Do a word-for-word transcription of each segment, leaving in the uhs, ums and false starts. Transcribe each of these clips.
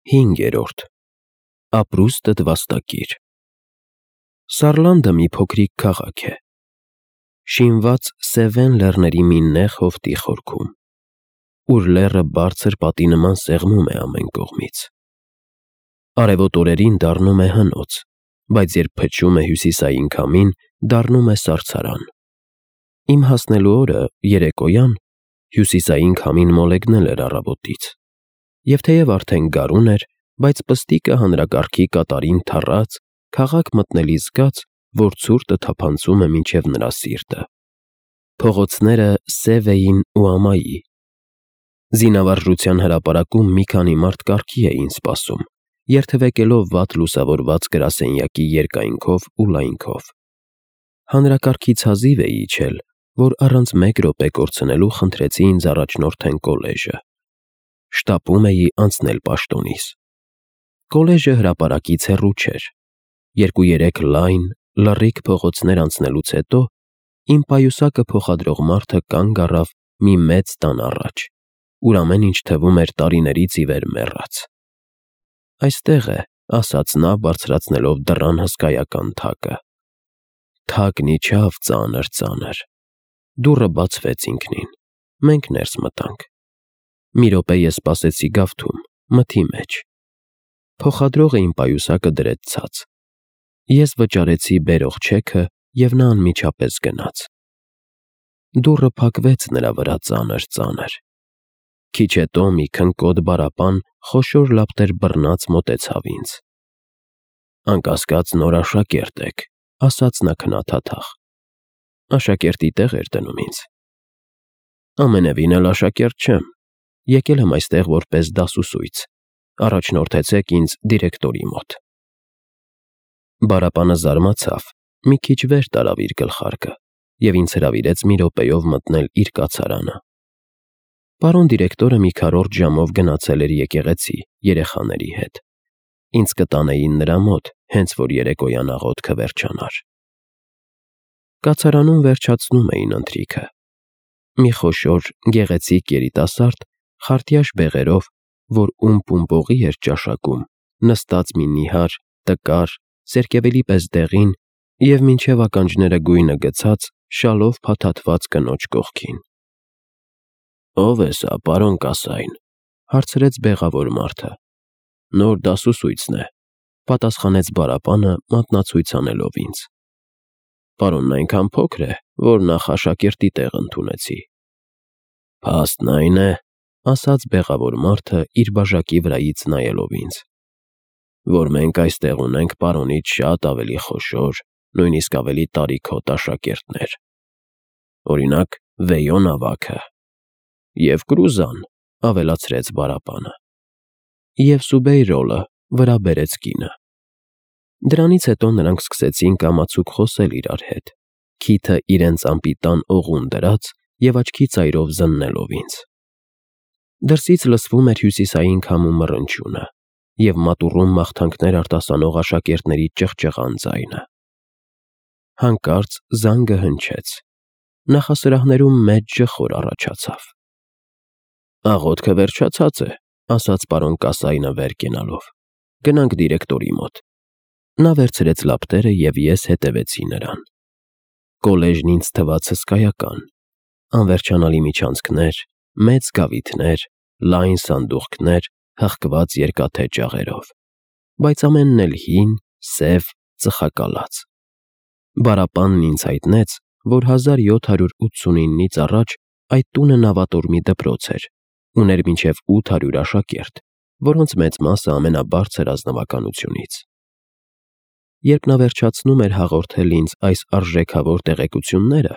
Հինգերորդ Ապրուստդ վաստակիր։ Սարլանդը մի փոքրիկ քաղաք է, շինված Սևեն լեռների մի նեղ հովտի խորքում, ուր լեռը բարձր պատի նման սեղմում է ամեն կողմից։ Արևոտ օրերին դառնում է հնոց, բայց երբ փչում է հյուսիսային քամին, դառնում է սառցարան։ Իմ հասնելու օրը, երեկոյան, հյուսիսային քամին մոլեգնել էր առավոտից, և թեև արդեն գարուն էր, բայց պստիկը հանրակարգի կատարին թռած, քաղաք մտնելիս զգաց, որ ցուրտը թափանցում է մինչև նրա սիրտը։ Փողոցները սև էին ու ամայի։ Զինավարժության հրապարակում մի քանի մարդ կարգի էին սպասում, երթևեկելով վատ լուսավորված գրասենյակի երկայնքով ու լայնքով։ Հանրակարգից հազիվ էի իջել, որ առանց մեկ րոպե կորցնելու խնդրեցի ինձ առաջնորդեն կոլեժը։ Շտապում էի անցնել պաշտոնիս։ Կոլեժը հրապարակից հեռու չէր։ Երկու-երեք լայն, լռիկ փողոցներ անցնելուց հետո իմ պայուսակը փոխադրող մարդը կանգ առավ մի մեծ տան առաջ, ուր ամեն ինչ թվում էր տարիներից ի վեր մեռած։ «Այստեղ է», ասաց նա, բարձրացնելով դռան հսկայական թակը։ Թակն իջավ ծանր-ծանր։ Դուռը բացվեց ինքնին։ Մենք ներս մտանք։ Մի րոպե ես սպասեցի գավթում, մթի մեջ։ Փոխադրողը իմ պայուսակը դրեց ցած։ Ես վճարեցի բերող չեքը, և նա անմիջապես գնաց։ Դուռը փակվեց նրա վրա ծանր-ծանր։ Քիչ հետո մի քնկոտ բառապան խոշոր լապտեր բռնած մոտեցավ ինձ։ «Անկասկած նոր աշակերտ եք», ասաց նա քնաթաթախ։ Աշակերտի տեղ էր դնում ինձ։ «Ամենևին էլ աշակերտ չեմ, եկել եմ այստեղ որպես դասուսույց, առաջնորդեցեք ինձ դիրեկտորի մոտ»։ Բառապանը զարմացավ, մի քիչ վեր տարավ իր գլխարկը և ինձ հրավիրեց մի րոպեով մտնել իր կացարանը։ Պարոն դիրեկտորը մի քառորդ ժամով գնացել էր եկեղեցի երեխաների հետ։ Ինձ կտանեին նրա մոտ, հենց որ երեկոյան աղոթքը վերջանար։ Կացարանում վերջացնում էին ընթրիքը։ Մի խոշոր, գեղեցիկ երիտասարդ, խարտյաշ բեղերով, որ ում-պումպողի էր ճաշակում, նստած մի նիհար, տկար, սերկևիլի պես դեղին և մինչև ականջները գույնը գցած, շալով փաթաթված կնոջ կողքին։ «Ո՞վ է սա, պարոն Կասայն», հարցրեց բեղավոր մարդը։ «Նոր դասուսույցն է», պատասխանեց բառապանը, մատնացույց անելով ինձ։ «Պարոնն այնքան փոքր է, որ նախ աշակերտի տեղ ընդունեցի»։ «Փաստն այն է», ասաց բեղավոր մարդը, իր բաժակի վրայից նայելով ինձ, «որ մենք այստեղ ունենք պարոնից շատ ավելի խոշոր, նույնիսկ ավելի տարիքոտ աշակերտներ։ Օրինակ, Վեյոն ավագը։ Եվ Կրուզան», ավելացրեց բառապանը։ «Եվ Սուբեյրոլը», վրա բերեց կինը։ Դրանից հետո նրանք սկսեցին կամացուկ խոսել իրար հետ, քիթը իրենց անպիտան օղուն դրած և աչքի ծայրով զննելով ինձ։ Դրսից լսվում էր հյուսիսային քամու մռնչյունը և մատուռում մաղթանքներ արտասանող աշակերտների ճղճղան ձայնը։ Հանկարծ զանգը հնչեց։ Նախասրահներում մեծ ջխոր առաջացավ։ «Աղոթքը վերջացած է», ասաց պարոն Կասայնը վեր կենալով։ «Գնանք դիրեկտորի մոտ»։ Նա վերցրեց լապտերը, և ես հետևեցի նրան։ Կոլեժն ինձ թվաց հսկայական։ Անվերջանալի միջանցքներ, մեծ գավիթներ, լայն սանդուղքներ, հղկված երկաթե ջաղերով, բայց ամենն էլ հին, սև, ծխակալած։ Բառապանն ինձ հայտնեց, որ հազար յոթ հարյուր ութսունինից առաջ այդ տունը նավատորմի դպրոց էր, ուներ մինչև ութ հարյուր աշակերտ, որոնց մեծ մասը ամենաբարձր ազնվականությունից։ Երբ նա վերջացնում էր հաղորդել ինձ այս արժեքավոր տեղեկությունները,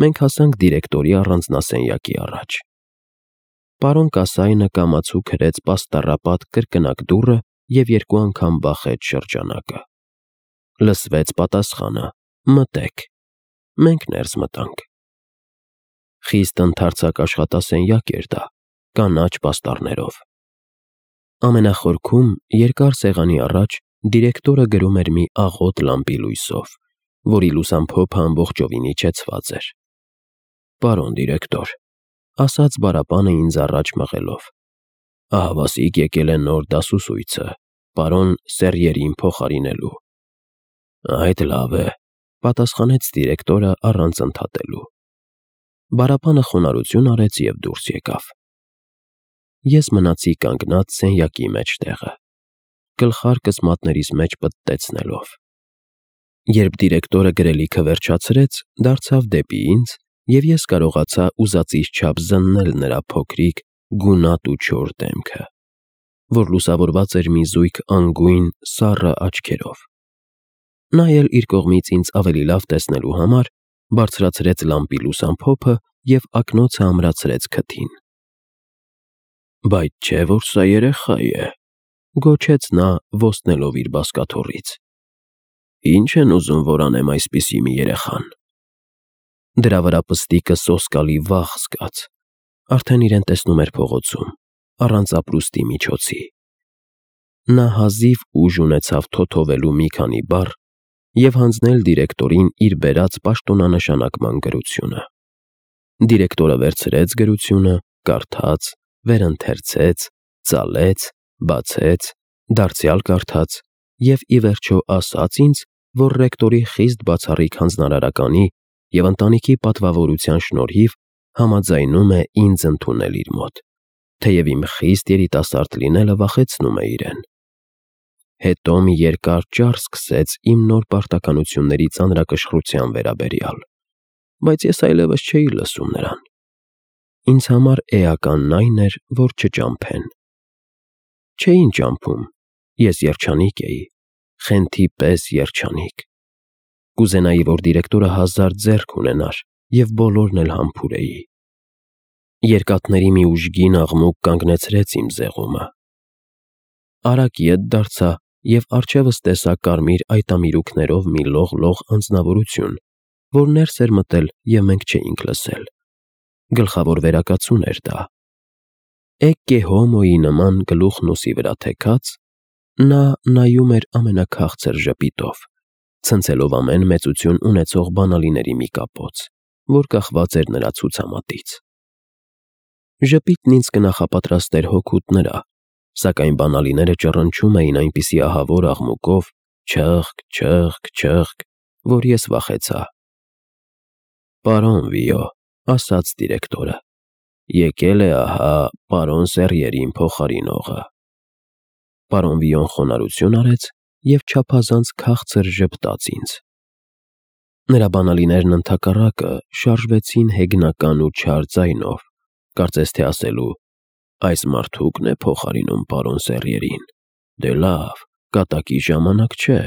մենք հասանք դիրեկտորի առանձնասենյակի առաջ։ Պարոն Կասայնը կամացուկ հրեց պաստառապատ կրկնակ դուռը և երկու անգամ բախեց շրջանակը։ Լսվեց պատասխանը. «Մտե՛ք»։ Մենք ներս մտանք։ Խիստ ընդարձակ աշխատասենյակ էր դա, կանաչ պաստառներով։ Ամենախորքում, երկար սեղանի առաջ, դիրեկտորը գրում էր մի աղոտ լամպի լույսով, որի լուսամփոփը ամբողջովին իջեցված էր։ «Պարոն դիրեկտոր», ասաց բառապանը ինձ առաջ մղելով, Ահավասիկ եկել է նոր դասուսույցը, պարոն Սերյերին փոխարինելու։ Այդ լավ է, պատասխանեց դիրեկտորը առանց ընդհատելու։ Բարապանը խոնարհություն արեց և դուրս եկավ։ Ես մնացի կանգնած սենյակի մեջտեղը, գլխարկս մատներիս մեջ պտտեցնելով։ Երբ դիրեկտորը գրելիքը վերջացրեց, դարձավ դեպի ինձ, և ես կարողացա ուզածիս չափ զննել նրա փոքրիկ, գունատ ու չոր դեմքը, որ լուսավորված էր մի զույգ անգույն, սառը աչքերով։ Նա էլ իր կողմից ինձ ավելի լավ տեսնելու համար բարձրացրեց լամպի լուսամփոփը և ակնոցը ամրացրեց քթին։ Բայց չէ՞ որ սա երեխա է, գոչեց նա, ոստնելով իր բազկաթոռից։ Ի՞նչ են ուզում, որ անեմ այսպիսի մի երեխան։ Դրա վրա պստիկը սոսկալի վախ զգաց, արդեն իրեն տեսնում էր փողոցում, առանց ապրուստի միջոցի։ Նա հազիվ ուժ ունեցավ թոթովելու մի քանի բառ և հանձնել դիրեկտորին իր բերած պաշտոնանշանակման գրությունը։ Դիրեկտորը վերցրեց գրությունը, կարդաց, վերընթերցեց, ծալեց, բացեց, դարձյալ կարդաց և ի վերջո ասաց ինձ, որ ռեկտորի խիստ բացառիկ հանձնարարականի և ընտանիքի պատվավորության շնորհիվ համաձայնում է ինձ ընդունել իր մոտ, թեև իմ խիստ երիտասարդ լինելը վախեցնում է իրեն։ Հետո մի երկար ճառ սկսեց իմ նոր պարտականությունների ծանրակշռության վերաբերյալ, բայց ես այլևս չէի լսում նրան։ Ինձ համար էականն այն էր, որ չճամփեն։ Չէին ճամփում, ես երջանիկ էի, խենթի պես երջանիկ։ Կուզենայի, որ դիրեկտորը հազար ձեռք ունենար և բոլորն էլ համբուրեի։ Երկաթների մի ուժգին աղմուկ կանգնեցրեց իմ զեղումը։ Արագ ետ դարձա և առջևս տեսա կարմիր այտամիրուքներով մի լող-լող անձնավորություն, որ ներս էր մտել և մենք չէինք լսել։ Գլխավոր վերակացուն էր դա։ Էկկե հոմոյի նման գլուխն ուսի վրա թեքած, նա նայում էր ամենաքաղցր ժպիտով, ցնցելով ամեն մեծություն ունեցող բանալիների մի կապոց, որ կախված էր նրա ցուցամատից։ Ժպիտն ինձ կնախապատրաստեր հօգուտ նրա, սակայն բանալիները ճռնչում էին այնպիսի ահավոր աղմուկով, չըխկ, չըխկ, չըխկ, որ ես վախեցա։ Պարոն Վիո, ասաց դիրեկտորը, եկել է ահա պարոն Սերյերին փոխարինողը։ Պարոն Վիոն խոնարհություն արեց և չափազանց քաղցր ժպտաց ինձ։ Նրա բանալիներն ընդհակառակը շարժվեցին հեգնական ու չար ձայնով, կարծես թե ասելու. «Այս մարդուկն է փոխարինում պարոն Սերյերին, դե լավ, կատակի ժամանակ չէ»։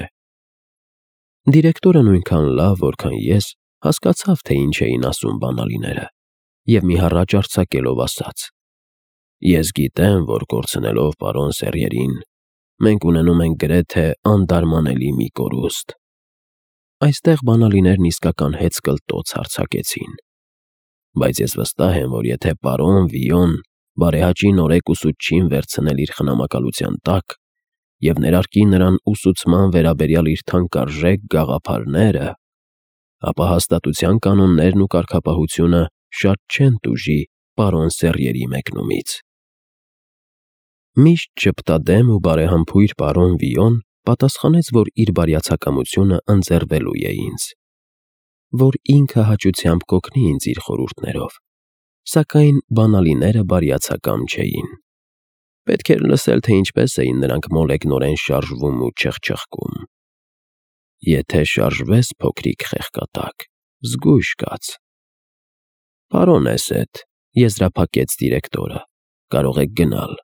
Դիրեկտորը նույնքան լավ, որքան ես, հասկացավ, թե ինչ էին ասում բանալիները, և մի հառաչ արձակելով ասաց. «Ես գիտեմ, որ կորցնելով պարոն Սերյերին, մենք ունենում ենք գրեթե անդարմանելի մի կորուստ»։ Այստեղ բանալիներն իսկական հեծկլտոց արձակեցին։ Բայց ես վստահ եմ, որ եթե պարոն Վիոն բարեհաճի նորեկ ուսուցչին վերցնել իր խնամակալության տակ և ներարկի նրան ուսուցման վերաբերյալ իր թանկարժեք գաղափարները, ապա հաստատության կանոններն ու կարգապահությունը շատ չեն տուժի պարոն Սերյերի մեկնումից։ Միշտ ժպտադեմ ու բարեհամբույր պարոն Վիոն պատասխանեց, որ իր բարյացակամությունը ընձեռվելու է ինձ, որ ինքը հաճությամբ կօգնի ինձ իր խորհուրդներով, սակայն բանալիները բարյացակամ չէին։ Պետք էր լսել, թե ինչպես էին նրանք մոլեգնորեն շարժվում ու չխչխկում։ Եթե շարժվես, փոքրիկ խեղկատակ, զգույշ կաց։ Պարոն Էսեթ, եզրափակեց դիրեկտորը, կարող եք գնալ։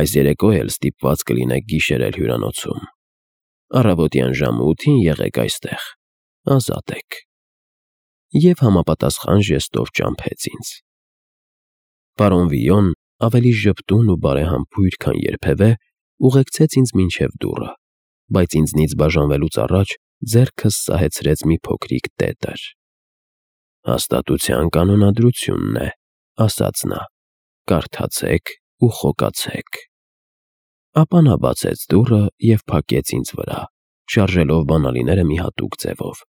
Այս երեկո էլ ստիպված կլինեք գիշերել հյուրանոցում։ Առավոտյան ժամը ութին եղեք այստեղ, ազատ եք։ Եվ համապատասխան ժեստով ճամփեց ինձ։ Պարոն Վիոն, ավելի ժպտուն ու բարեհամբույր, քան երբևէ, ուղեկցեց ինձ մինչև դուռը, բայց ինձնից բաժանվելուց առաջ ձեռքս սահեցրեց մի փոքրիկ տետր։ Հաստատության կանոնադրությունն է, ասաց նա, կարդացեք ու խոկացեք։ Ապա նա բացեց դուռը և փակեց ինձ վրա, շարժելով բանալիները մի հատուկ ձևով՝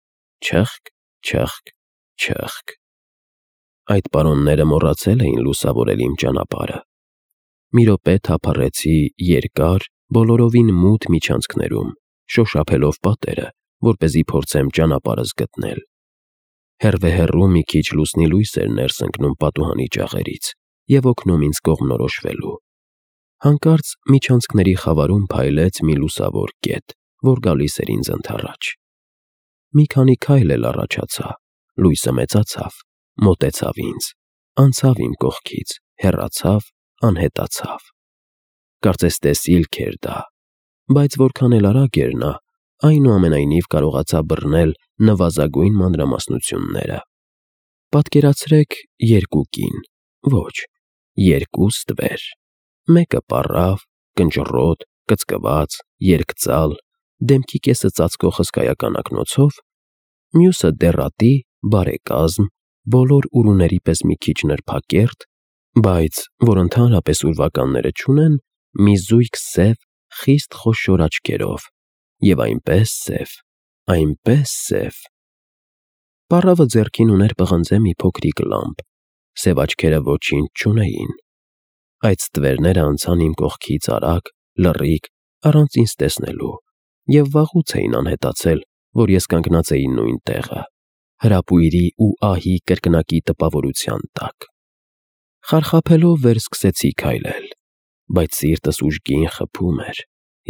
չըխկ, չըխկ, չըխկ։ Այդ պարոնները մոռացել էին լուսավորել իմ ճանապարհը։ մի րոպե թափառեցի երկար, բոլորովին մութ միջանցքներում, շոշափելով պատերը, որպեսզի փորձեմ ճանապարհս գտնել։ Հեռվե-հեռու մի քիչ լուսնի լույս էր ներս ընկնում պատուհանի ջաղերից և օգնում ինձ կողմնորոշվելու։ Հանկարծ միջանցքների խավարում փայլեց մի լուսավոր կետ, որ գալիս էր ինձ ընդառաջ։ Մի քանի քայլ էլ առաջացա, լույսը մեծացավ, մոտեցավ ինձ, անցավ իմ կողքից, հեռացավ, անհետացավ։ Կարծես տեսիլք էր դա, բայց որքան էլ արագ էր նա, այնուամենայնիվ կարողացա բռնել նվազագույն մանրամասնությունները։ Պատկերացրեք երկու կին, ոչ, երկու ստվեր, մեկը պառավ, կնճռոտ, կծկված, երկծալ, դեմքի կեսը ծածկող հսկայական ակնոցով, մյուսը դեռատի, բարեկազմ, բոլոր ուրուների պես մի քիչ նրբակերտ, բայց, որ ընդհանրապես ուրվականները չունեն, մի զույգ սև, խիստ խոշոր աչքերով, և այնպես սև, այնպես սև։ Պառավը ձեռքին ուներ պղնձե մի փոքրիկ լամպ, սև աչքերը ոչինչ չունեին։ Այդ ստվերները անցան իմ կողքից արագ, լռիկ, առանց ինձ տեսնելու, և վաղուց էին անհետացել, որ ես կանգնած էի նույն տեղը, հրապույրի ու ահի կրկնակի տպավորության տակ։ Խարխափելով վեր սկսեցի քայլել, բայց սիրտս ուժգին խփում էր,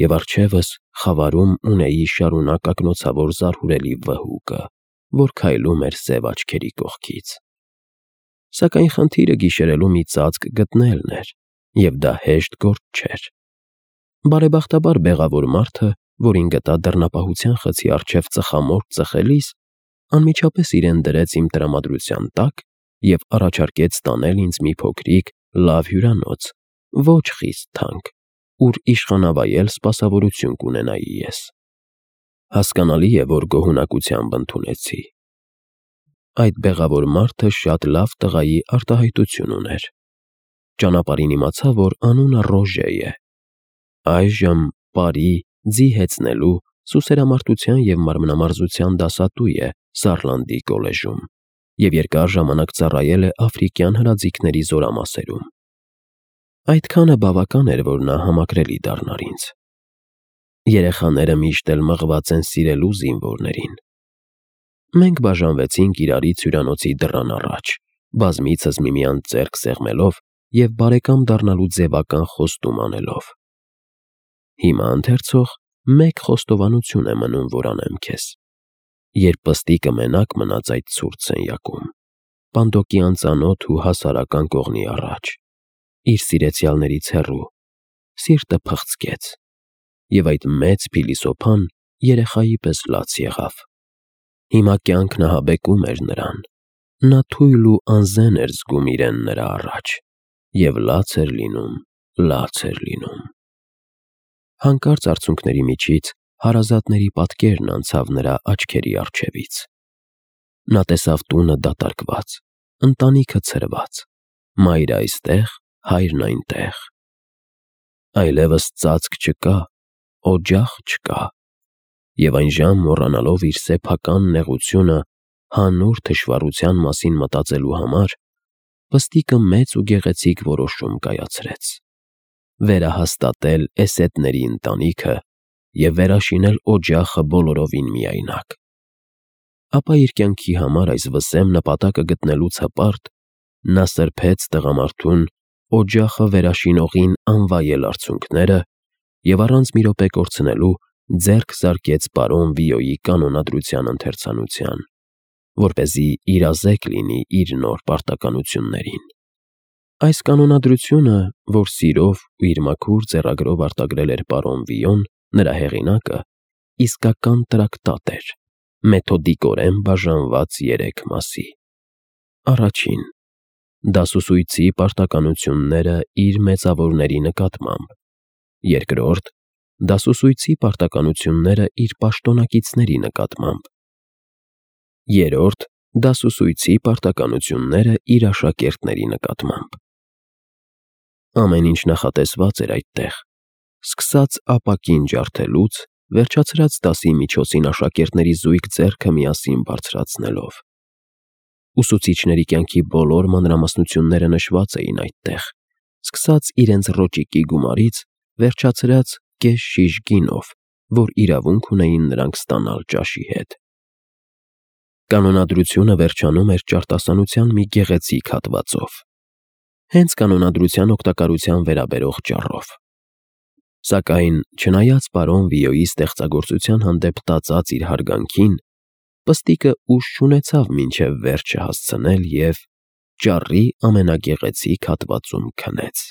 և առջևս խավարում ունեի շարունակ ակնոցավոր զարհուրելի վհուկը, որ քայլում էր սև աչքերի կողքից։ Սակայն խնդիրը գիշերելու մի ծածկ գտնելն էր, և դա հեշտ գործ չէր։ Բարեբախտաբար բեղավոր մարդը, որին գտա դռնապահության խցի առջև ծխամորճ ծխելիս, անմիջապես իրեն դրեց իմ տրամադրության տակ և առաջարկեց տանել ինձ մի փոքրիկ, լավ հյուրանոց, ոչ խիստ թանկ, ուր իշխանավայել սպասավորություն կունենայի ես։ Հասկանալի է, որ գոհունակությամբ ընդունեցի։ Այդ բեղավոր մարդը շատ լավ տղայի արտահայտություն ուներ։ Ճանապարհին իմացա, որ անունը Ռոժե է։ Այժմ պարի, ձի հեծնելու, սուսերամարտության և մարմնամարզության դասատու է Սարլանդի կոլեժում և երկար ժամանակ ծառայել է աֆրիկյան հրաձիգների զորամասերում։ Այդքանը բավական էր, որ նա համակրելի դառնար ինձ։ Երեխաները միշտ էլ մղված են սիրելու զինվորներին։ Մենք բաժանվեցինք իրարից հյուրանոցի դռան առաջ, բազմիցս միմյանց ձեռք սեղմելով և բարեկամ դառնալու ձևական խոստում անելով։ Հիմա ընթերցող, մեկ խոստովանություն է մնում, որ անեմ քեզ։ Երբ պստիկը մենակ մնաց այդ ցուրտ սենյակում, պանդոկի անծանոթ ու հասարական կողմի առաջ, իր սիրեցյալներից հեռու, սիրտը փխցկեց, և այդ մեծ փիլիսոփան երեխայի պես լաց եղավ։ Հիմա կյանքն ահաբեկում էր նրան, նա թույլ ու անզեն էր զգում իրեն նրա առաջ, և լաց էր լինում, լաց էր լինում։ Հանկարծ արցունքների միջից հարազատների պատկերն անցավ նրա աչքերի առջևից։ Նա տեսավ տունը դատարկված, ընտանիքը ցրված, մայրը այստեղ, հայրն այնտեղ։ Այլևս ծածկ չկա, օջախ չկա, և այն ժամ մոռանալով իր սեփական նեղությունը հանուն թշվառության մասին մտածելու համար, պստիկը մեծ ու գեղեցիկ որոշում կայացրեց. վերահաստատել Էսեդների ընտանիքը և վերաշինել օջախը բոլորովին միայնակ։ Ապա իր կյանքի համար այս վսեմ նպատակը գտնելուց հպարտ նա սրբեց տղամարդուն օջախը վերաշինողին անվայել արցունքները և առանց մի րոպե կորցնելու ձեռք զարկեց պարոն Վիոյի կանոնադրության ընթերցանության, որպեսզի իրազեկ լինի իր նոր պարտականություններին։ Այս կանոնադրությունը, որ սիրով ու իր մաքուր ձեռագրով արտագրել էր պարոն Վիոն, նրա հեղինակը, իսկական տրակտատ էր, մեթոդիկորեն բաժանված երեք մասի։ Առաջին՝ դասուսույցի պարտականությունները իր մեծավորների նկատմամբ։ Երկրորդ՝ դասուսույցի պարտականությունները իր պաշտոնակիցների նկատմամբ։ Երրորդ՝ դասուսույցի պարտականությունները իր աշակերտների նկատմամբ։ Ամեն ինչ նախատեսված էր այդտեղ, սկսած ապակին ջարդելուց, վերջացրած դասի միջոցին աշակերտների զույգ ձեռքը միասին բարձրացնելով։ Ուսուցիչների կյանքի բոլոր մանրամասնությունները նշված էին այդտեղ, սկսած իրենց ռոճիկի գումարից, վերջացրած կես շիշ գինով, որ իրավունք ունեին նրանք ստանալ ճաշի հետ։ Կանոնադրությունը վերջանում էր ճարտասանության մի գեղեցիկ հատվածով, հենց կանոնադրության օգտակարության վերաբերող ճառով։ Սակայն, չնայած պարոն Վիոյի ստեղծագործության հանդեպ տածած իր հարգանքին, պստիկը ուժ չունեցավ մինչև վերջը հասցնել և ճառի ամենագեղեցիկ հատվածում քնեց։